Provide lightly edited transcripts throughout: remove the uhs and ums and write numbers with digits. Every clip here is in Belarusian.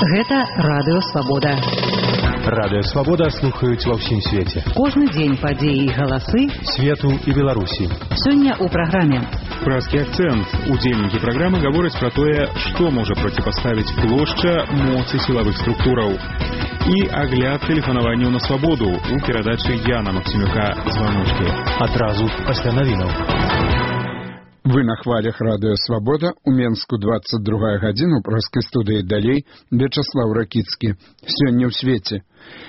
Гэта Радыё Свабода. Радыё Свабода слухаюць ва ўсім свеце. Кожны дзень падзеі і галасы свету і Беларусі. Сёння ў праграме «Пражскі акцэнт». Удзельнікі праграмы гавораць пра тое, што можа проціпаставіць плошча моцы сілавых структураў. І агляд тэлефанаванняў на свабоду у перадачы Яна Максімюка «Званочкі». Адразу пасля навінаў. Вы на хвалях Радыё Свабода, у Менску 22 гадзіна, у пражскай студыі далей Вячаслаў Ракіцкі. Сёння ў свеце.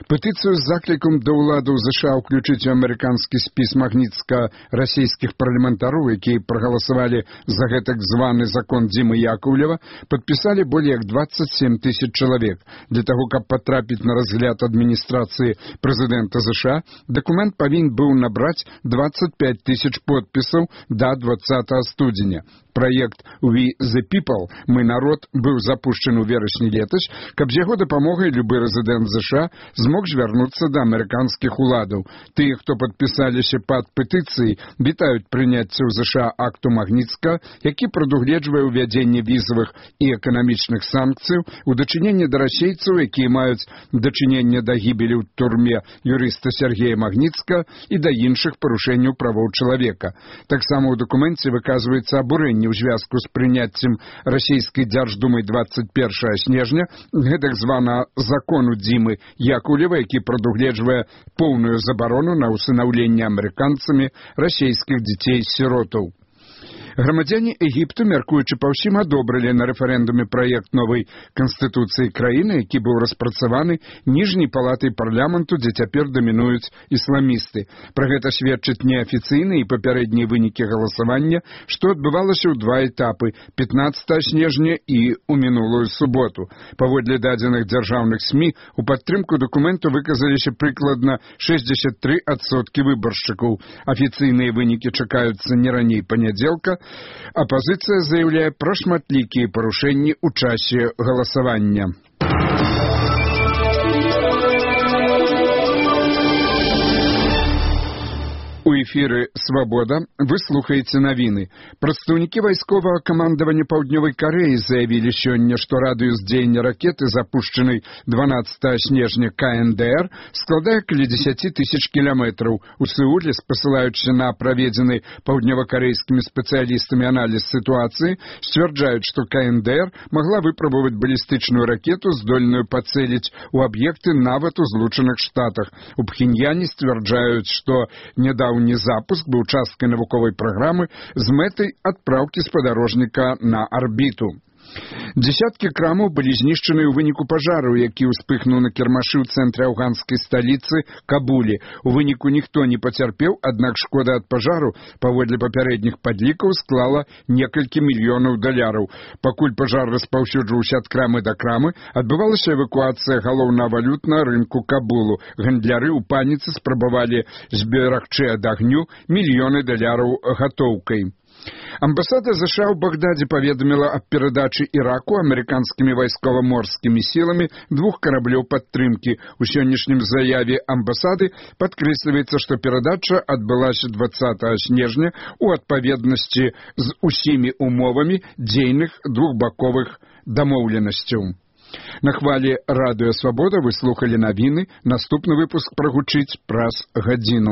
Петыцыю з заклікам да ўладаў ЗША ўключыць у амерыканскі спіс магніцка-расійскіх парламентароў, якія прагаласавалі за гэтак званы закон Дзімы Яковлева, падпісалі болей як 27 тысяч чалавек. Для таго, каб патрапіць на разгляд адміністрацыі прэзідэнта ЗША, дакумент павінен быў набраць 25 тысяч подпісаў да 20 студзеня. Праект «We the People» «Мы народ» быў запушчаны ў верасні летась, каб з яго дапамогай любы рэзідэнт ЗША змог звярнуцца да амерыканскіх уладаў. Тыя, хто падпісаліся пад петыцыяй, вітаюць прыняцце ў ЗША акту Магніцка, які прадугледжвае ўвядзенне візавых і эканамічных санкцыяў у дачыненні да расейцаў, якія маюць дачыненне да гібелі ў турме юрыста Сергея Магніцка і да іншых парушэнняў правоў чалавека. Таксама ў дакуменце выказваецца абурэнне ў звязку з прыняццем расійскай дзярждумай 21 снежня гэтак звана закону Дзімы Яковлева, які прадугледжвае поўную забарону на ўсынаўленне амерыканцамі расійскіх дзяцей-сіротаў. Грамадзяне Егіпту, мяркуючы па ўсім, адобрылі на рэферэндуме праект новай канстытуцыі краіны, які быў распрацаваны ніжняй палатай парламенту, дзе цяпер дамінуюць ісламісты. Пра гэта сведчаць неафіцыйныя і папярэднія вынікі галасавання, што адбывалася ў два этапы – 15 снежня і ў мінулую суботу. Паводле дадзеных дзяржаўных СМІ, у падтрымку дакументу выказаліся прыкладна 63% выбаршчыкаў. Афіцыйныя вынікі чакаюцца не раней панядзелка. Апазіцыя заяўляе пра шматлікія парушэнні ў часе галасавання. У эфіры «Свабода» вы слухаеце навіны. Прадстаўнікі вайсковага камандавання Паўднёвай Карэі заявілі сёння, што радыус дзеяння ракеты, запушчанай 12 снежня КНДР, складае каля 10 тысяч кіламетраў. У Сеуле, спасылаючыся на праведзены паўднёвакарэйскімі спецыялістамі аналіз сітуацыі, сцвярджаюць, што КНДР магла выпрабаваць балістычную ракету, здольную пацэліць у аб'екты нават у Злучаных Штатах. У Пхеньяне сцвярджаюць, што нядаўні запуск быў часткай навуковай праграмы з мэтай адпраўкі спадарожніка на арбіту. Дзесяткі крамаў былі знішчаны ў выніку пажару, які ўспыхнуў на кірмашы ў цэнтры афганскай сталіцы Кабулі. У выніку ніхто не пацярпеў, аднак шкода ад пажару, паводле папярэдніх падлікаў, склала некалькі мільёнаў даляраў. Пакуль пажар распаўсюджваўся ад крамы да крамы, адбывалася эвакуацыя галоўнага валют на рынку Кабулу. Гандляры ў паніцы спрабавалі зберагчы ад агню мільёны даляраў гатоўкай. Амбасада ЗША ў Багдадзе паведаміла аб перадачы Іраку амерыканскімі вайскова-морскімі сіламі 2 караблёў падтрымкі. У сённяшнім заяве амбасады падкрэсліваецца, што перадача адбылася 20 снежня ў адпаведнасці з усімі умовамі дзейных двухбаковых дамоўленасцяў. На хвалі Радыё Свабода вы слухалі навіны. Наступны выпуск прагучыць праз гадзіну.